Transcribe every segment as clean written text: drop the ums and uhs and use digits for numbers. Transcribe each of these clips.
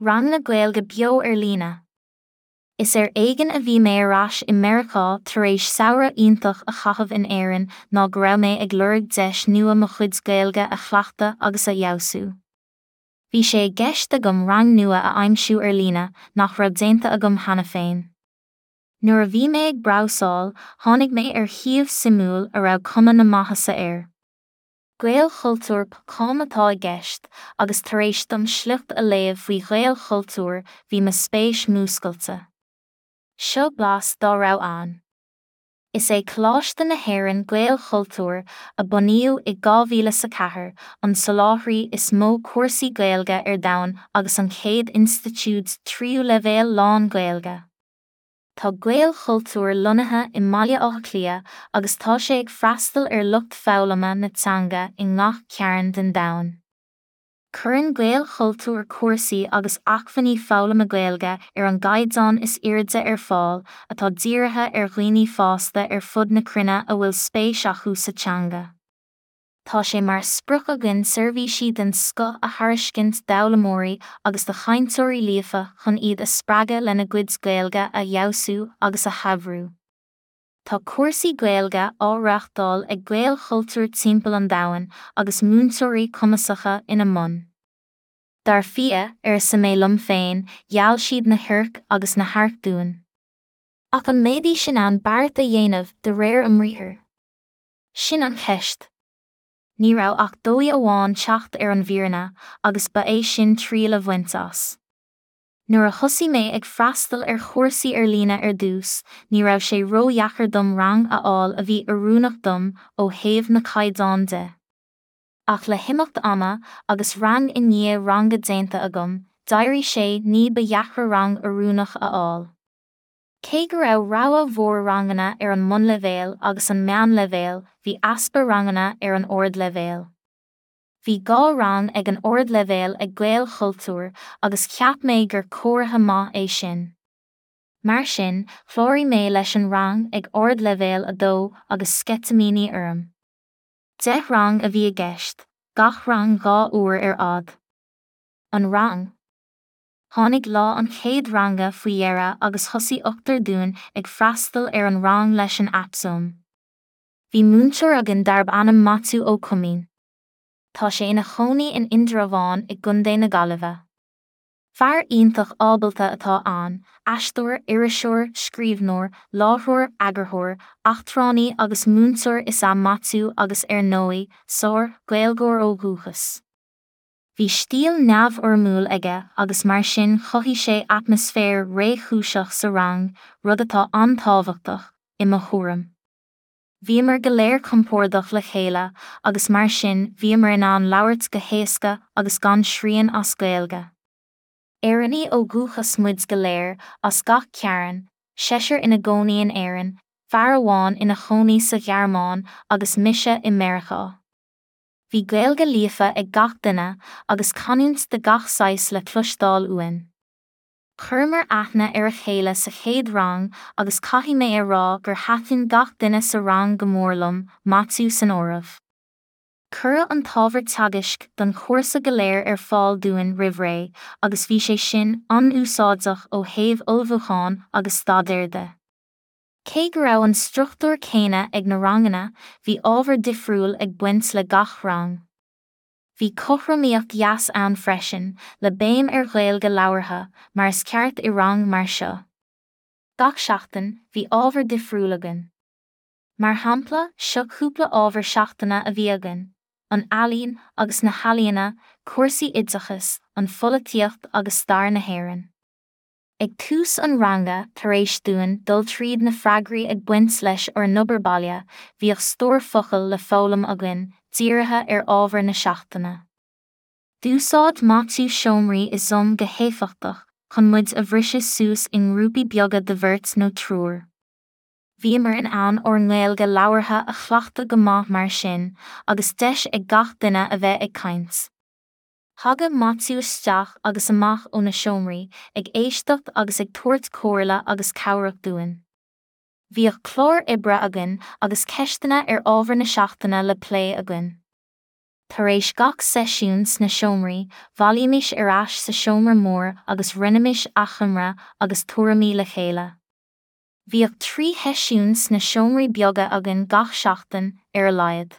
Ranganna Gaeilge beo ar líne. Is ar éigean a bhí mé ar ais i Meiriceá tar éis samhradh iontach a chaitheamh in Éirinn ná go raibh mé ag lorg deis nua mo chuid Gaeilge a chleachtadh agus a fheabhsú. Bhí sé i gceist agam rang nua a aimsiú ar líne nach raibh déanta agam cheana féin. Nuair a bhí mé ag brabhsáil, tháinig mé ar shuíomh suimiúil a raibh cuma na maitheasa air. Gaelchultúr com atá i gceist agus tar éis dom sliocht a léamh faoi Ghaelchultúr bhí mo spéis múscailte. Seo blas dá raibh ann. Is é Coláiste na hÉireann Gaelchultúr, a bunaíodh i 2004, an soláthraí is mó cúrsaí Gaeilge ar domhan agus an chéad institiúid tríú leibhéal lán-Ghaeilge. Tá Gaelchultúr lonnaithe i mBaile Átha Cliath agus tá sé ag freastal ar lucht foghlama na teanga i ngach cearn den domhan. Cuireann Gaelchultúr cúrsaí agus acmhainní foghlama Gaeilge ar an gcaighdeán is airde ar fáil atá dírithe ar dhaoine fásta ar fud na cruinne a bhfuil spéis acu sa teanga. Tá sé mar sprioc againn seirbhísí den scoth a thairiscint d'fhoghlaimeoirí agus do chainteoirí líofa chun iad a spreagadh lena gcuid Gaeilge a fheabhsú agus a shaibhriú. Tá cúrsaí Gaeilge á reáchtáil ag Gaelchultúr timpeall an domhain agus múinteoirí cumasacha ina mbun. Dar fia, arsa mé liom féin, gheall siad na hoirc agus na hairc dúinn. Ach an mbeidís in ann beart a dhéanamh de réir a mbriathair? Sin an cheist. Ní raibh ach dóigh amháin teacht ar an bhfírinne agus ba é sin triail a bhaint as. Nuair a thosaigh mé ag freastal ar chúrsaí ar líne ar dtús, ní raibh sé ródheacair dom rang a fháil a bhí oiriúnach dom ó thaobh na caighdeán de. Ach le himeacht ama, agus rang i ndiaidh ranga déanta agam, d'éirigh sé ní ba dheacra rang oiriúnach a fháil. Cé go raibh rogha mhór ranganna ar an mbunleibhéal agus an meánleibhéal, bhí easpa ranganna ar an ardleibhéal. Bhí 2 rang ag an ardleibhéal ag Gaelchultúr agus cheap mé gur comhartha maith é sin. Mar sin, chláraigh mé leis an rang ag ardleibhéal 2 agus sceitimíní orm. 10 rang a bhí i gceist, gach rang 2 uair ar fhad. An rang. Tháinig lá an chéad ranga faoi dheireadh agus thosaigh ochtar dúinn ag freastal ar an rang leis an aip Zoom. Bhí múinteoir againn darb ainm Maitiú Ó Coimín. Tá sé ina chónaí in Indreabhán i gContae na Gaillimhe. Fear iontach ábalta atá ann, aisteoir, iriseoir, scríbhneoir, láithreoir, eagarthóir, eachtránaí agus múinteoir is ea Maitiú agus ar ndóigh, sár, Ghaeilgeoir ó dhúchas. Bhí stíl neamhfhoirmiúil aige agus mar sin chothaigh sé atmaisféar réchúiseach sa rang, rud atá an-tábhachtach, i mo thuairim. Bhíomar go léir compordach le chéile agus mar sin bhíomar in ann labhairt go héasca agus gan srian as Gaeilge. Éireannaigh ó dhúchas muid go léir, as gach cearn, seisear ina gcónaí in Éirinn, fear amháin ina chónaí sa Ghearmáin agus mise i Meiriceá. Bhí Gaeilge líofa ag gach duine agus canúint de gach saghas le cloisteáil uainn. Chuireamar aithne ar a chéile sa chéad rang agus caithfidh mé a rá gur thaitin gach duine sa rang go mór liom, Maitiú san áireamh. Cuireadh an t-ábhar teagaisc don chúrsa go léir ar fáil dúinn roimh ré agus bhí sé sin an-úsáideach ó thaobh ullmhúcháin agus staidéir de. Cé go raibh an struchtúr céanna ag na ranganna, bhí ábhar difriúil ag baint le gach rang. Bhí cothromaíocht dheas ann freisin, le béim ar Ghaeilge labhartha, mar is ceart i rang mar seo. Gach seachtain, bhí ábhar difriúil againn. Mar shampla, seo cúpla ábhar seachtaine a bhí againn, an ealaín agus na healaíona, cúrsaí oideachais, an pholaitíocht agus stair na hÉireann. Ag tús an ranga, tar éis dúinn dul tríd na freagraí ag baint leis ár n-obair baile, bhíodh stór focal le foghlaim againn, dírithe ar ábhar na seachtaine. D'úsáid Maitiú seomraí i Zoom go héifeachtach chun muid a bhriseadh suas i ngrúpaí beaga de bheirt nó triúr. Bhíomar in ann ár nGaeilge labhartha a chleachtadh go maith mar sin, agus deis ag gach duine a bheith ag caint. Thagadh Maitiú isteach agus amach ó na seomraí, ag éisteacht agus ag tabhairt comhairle agus cabhrach dúinn. Bhíodh clár oibre againn agus ceisteanna ar ábhar na seachtaine le plé againn. Tar éis gach seisiún sna seomraí, bhailímis ar ais sa seomra mór agus roinnimis achoimre agus tuairimí le chéile. Bhíodh 3 sheisiún sna seomraí beaga againn gach seachtain, ar a laghad.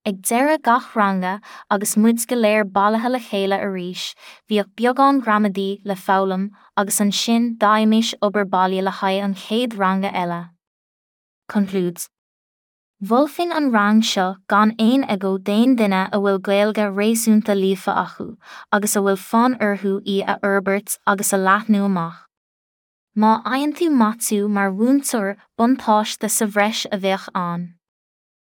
Ag deireadh gach ranga, agus muid go léir bailithe le chéile arís, bhíodh beagán gramadaí le foghlaim agus ansin d'fhaighimis obair baile le haghaidh an chéad ranga eile. Concludes. Mholfainn an rang seo gan aon agó d'aon duine a bhfuil Gaeilge réasúnta líofa acu agus a bhfuil fonn orthu í a fhorbairt agus a leathnú amach. Má fhaigheann tú Maitiú mar mhúinteoir, buntáiste sa bhreis a bheadh ann.